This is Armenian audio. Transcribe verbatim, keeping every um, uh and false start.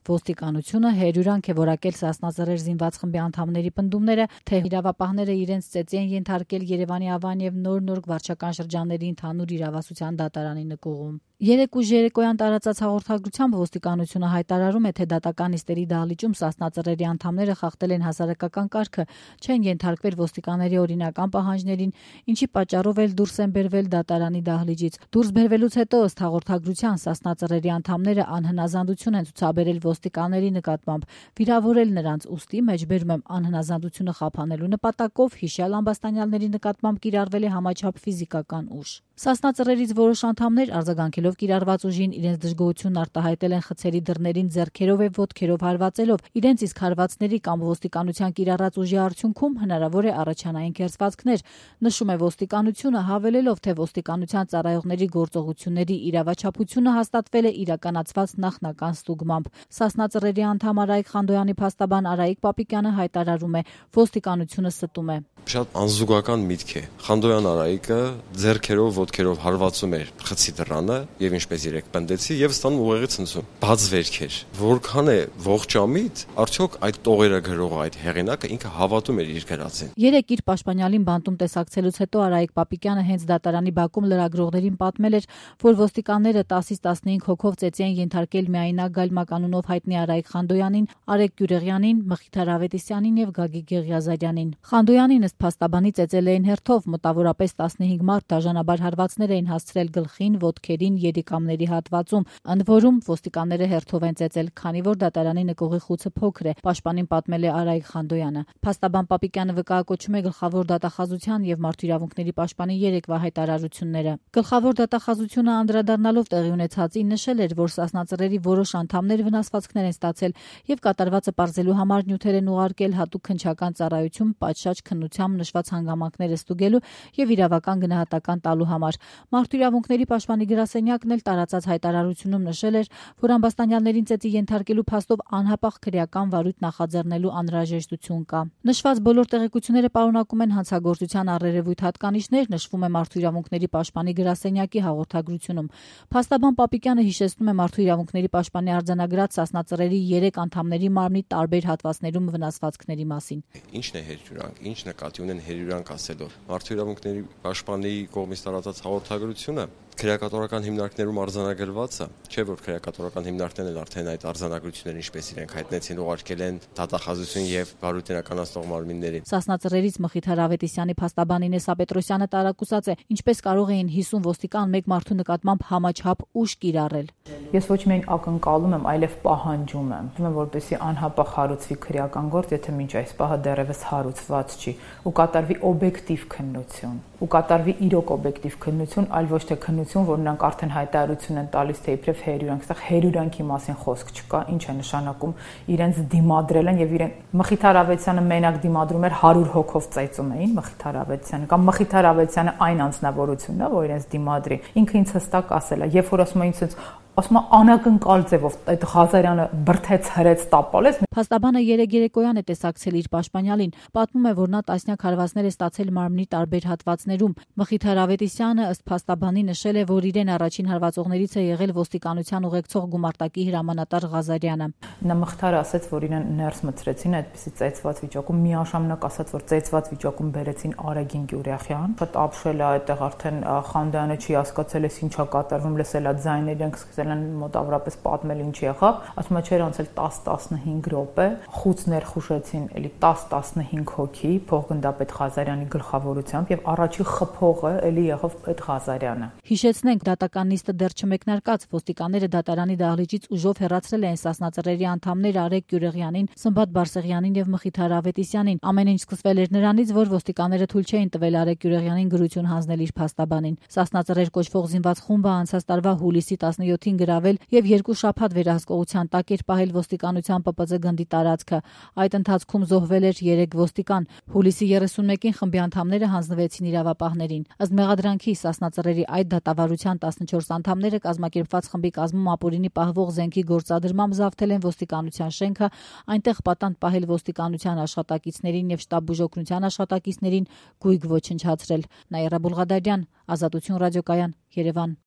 Ոստիկանությունը հերյուրանք է որակել Սասնա Ծռեր զինված խմբի անդամների պնդումները, թե իրավապահները իրենց ծեծի են ենթարկել Երևանի Ավան եւ Նոր Նորք վարչական շրջանների ընդհանուր իրավասության դատարանի նկուղում։ Երեկ ուժ երեկոյան տարածած հաղորդագրությամբ ոստիկանությունը հայտարարում է, թե դատական նիստերի դահլիճում Սասնա Ծռերի անդամները խախտել են հասարակական կարգը, չեն ենթարկվել ոստիկանների օրինական պահանջներին, ինչի պատճառով էլ դուրս են բերվել դատարանի դահլիճից։ Դուրս բերվելուց հետո ըստ հաղորդագրության Սասնա Ծռերի անդամները անհնազանդություն են ցուցաբերել ոստիկանների նկատմամբ, վիրավորել նրանց, ուստի մեջբերում եմ անհնազանդությունը խափանելու նպատակով հիշյալ ամբաստանյալների նկատմամբ կիրառվել է համաչափ ֆիզիկական ուժ։ Սասնա Ծռերից որոշ անդամներ արձագանքելով կիրառված ուժին իրենց դժգոհությունն արտահայտել են խցերի դռներին ձեռքերով եւ ոտքերով հարվածելով, իրենց իսկ հարվածների կամ ոստիկանության կիրառած ուժի արդյունքում հնարավոր է առաջանային կերծվածքներ, նշում է ոստիկանությունը, հավելելով, թե ոստիկանության ծառայողների գործողությունների իրավաչափությունը հաստատվել է իրականացված նախնական ստուգմամբ։ Սասնա Ծռերի անդամ Արայիկ Խանդոյանի փաստաբան Արայիկ Պապիկյանը հայտարարում է, ոստիկանությունը ստում է։ Շատ անզուգական միտք է։ Խանդոյան Արայիկը ձեռքերով, ոտքերով հարվածում էր խցի դռանը եւ ինչպես երեք պնդեցի եւ ստանում ուղեղի ցնցում։ Բաց վերք էր։ Որքան է ողջամիտ, արդյոք այդ տողերը գրողը, այդ հեղինակը ինքը հավատում էր իր գրածին։ Երեք իր պաշտպանյալին բանտում տեսակցելուց հետո Արայիկ Պապիկյանը հենց դատարանի բակում լրագրողներին պատմել էր, որ ոստիկանները տասից տասնհինգ հոգով ծեծի են ենթարկել միայնակ Գալմականունով հայտնի Արայիկ Խանդոյանին, Արեգ Գյուրեղյանին, Մխիթար Ավետիսյանին եւ Գագիկ Ղեղիազարյանին։ Խանդոյանին ըստ փաստաբանի ծեծել էին հերթով, մոտավորապես տասնհինգ մարդ դաժանաբար հարվածներ էին հասցրել գլխին, ոտքերին, երիկամների հատվածում, ընդ որում ոստիկանները հերթով են ծեծել, քանի որ դատարանի նկուղի խուցը փոքր է, պաշտպանին պատմել է Արայիկ Խանդոյանը։ Փաստաբան Պապիկյանը վկայակոչում է գլխավոր դատախազության եւ մարդու իրավունքների պաշտպանի երեկվա հայտարարությունները։ Գլխավոր դատախազությունը անդրադառնալով տեղի ունեցածին նշել էր, որ Սասնա Ծռերի որոշ անդամներ վնասվածքներ են ստացել եւ կատարվածը պարզելու համար նյութեր են ուղարկել հատուկ քննչական ծառայություն պատշաճ քննությամբ նշված հանգամանքները ստուգելու եւ իրավական գնահատական տալու համար։ Մարդու իրավունքների պաշտպանի գրասենյակն էլ տարածած հայտարարությունում նշել էր, որ ամբաստանյալներին ծեծի ենթարկելու փաստով անհապաղ քրեական վարույթ նախաձեռնելու անհրաժեշտություն կա։ Նշված բոլոր տեղեկությունները պարունակում են հանցագործության առերևույթ հատկանիշներ, նշվում է մարդու իրավունքների պաշտպանի գրասենյակի հաղորդագրությունում։ Փաստաբան Պապիկյանը հիշեցնում է մարդու իրավունքների պաշտպանի արձանագրած Սասնա Ծռերի երեք անդամների մարմնի տարբեր հատվածներում վնասվածքների մասին։ Ինչն է հերյուրանք, ինչ նկատի ունեն հերյուրանք ասելով։ Մարդու իրավունքների պաշտպանի կողմից տարածած հաղորդագրությունը քրեակատորական հիմնարկներում արձանագրված է, չէ՞ որ քրեակատորական հիմնարկներն էլ արդեն այդ արձանագրությունները ինչպես իրենք հայտնեցին, ուղարկել են դատախազություն եւ վարույթ իրականացնող մարմիններին։ Սասնա Ծռերից Մխիթար Ավետիսյանի փաստաբան Ինես Ապետրոսյանը տարակուսած է, ինչպես կարող էին հիսուն ոստիկան մեկ մարդու նկատմամբ համաչափ ուժ կիրառել։ Ես ոչ միայն ակնկալում եմ, այլև պահանջում եմ, որպեսզի անհապաղ հարուցվի քրեական գործ, եթե մինչ այս պահը դեռևս հարուցված չի, ու կատարվի օբյեկտիվ քննություն, ու կատարվի իրոք օբյեկտիվ քննություն, այլ ոչ թե քննություն, որ նրանք արդեն հայտարարություն են տալիս, թե իբրև հերյուրանք, այստեղ հերյուրանքի մասին խոսք չկա, ինչ է նշանակում իրենց դիմադրել են եւ իրեն Մխիթար Ավետիսյանը մենակ դիմադրում էր հարյուր հոգով ծեծում էին Մխիթար Ավետիսյանը կամ Մխիթար Ավետիսյանը այն անձնավորությունն է, որ իրենց դիմադրի, ինքը ինձ հստակ ասել է, երբ որ ասում է ինձ ասում անակնկալ ձևով այդ Ղազարյանը բրթեց հրեց տապալեց։ Փաստաբանը երեք երեկոյան է տեսակցել իր պաշտպանյալին, պատմում է, որ նա տասնյակ հարվածներ է ստացել մարմնի տարբեր հատվածներում։ Մխիթար Ավետիսյանը ըստ փաստաբանի նշել է, որ իրեն առաջին հարվածողներից է եղել ոստիկանության ուղեկցող գումարտակի հրամանատար Ղազարյանը։ Նա Մխիթարը ասաց, որ իրեն ներս մցրեցին այդպիսի ծեծված վիճակում, միաժամանակ ասաց, որ ծեծված վիճակում բերեցին Արեգին Գյուրեղյան, շատ ապշել է այդտեղ արդեն Խանդոյանը չի հասկացել է ինչա կատարվում, լսել է ձայներ, իրենք սկսել են մոտավորապես պատմել ինչ եղավ, ասում է չէր անցել տասը տասնհինգ րոպե, խուց ներխուժեցին էլի տասը տասնհինգ հոգի փոխգնդապետ Ղազարյանի գլխավորությամբ եւ առաջի խփողը էլի եղավ այդ Ղազարյանը։ Հիշեցնենք, դատական նիստը դեռ չմեկնարկած, ոստիկանները դատարանի դահլիճից ուժով հեռացրել են Սասնա Ծռերի անդամներ Արեգ Գյուրեղյանին, Սմբատ Բարսեղյանին եւ Մխիթար Ավետիսյանին։ Ամեն ինչ սկսվել էր նրանից, որ ոստիկանները թույլ չէին տվել Արեգ Գյուրեղյանին գրություն հանձնել իր փաստաբանին։ Սասնա Ծռեր կոչվող զինված խումբը անցած տարվա հուլիսի տասնյոթին գրավել եւ երկու շաբաթ վերահսկողության տակ էր պահել ոստիկանության Պ Պ Ծ գնդի տարածքը։ Այդ ընթացքում զոհվել էր երեք ոստիկան։ Հուլիսի երեսունմեկին խմբի անդամները հանձնվեցին իրավապահներին։ Ըստ մեղադրանքի Սասնա Ծռերի այդ դատավարության տասնչորս անդամները կազմակերպված խմբի կազմում ապօրինի պահվող զենքի գործադրմամբ զավթել են ոստիկանության շենքը, այնտեղ պատանդ պահել ոստիկանության աշխատակիցներին եւ շտաբ բուժօգնության աշխատակիցներին, գույք ոչնչացրել։ Նաիրա Բուլղադարյան, Ազատություն ռադիոկայան, Երևան։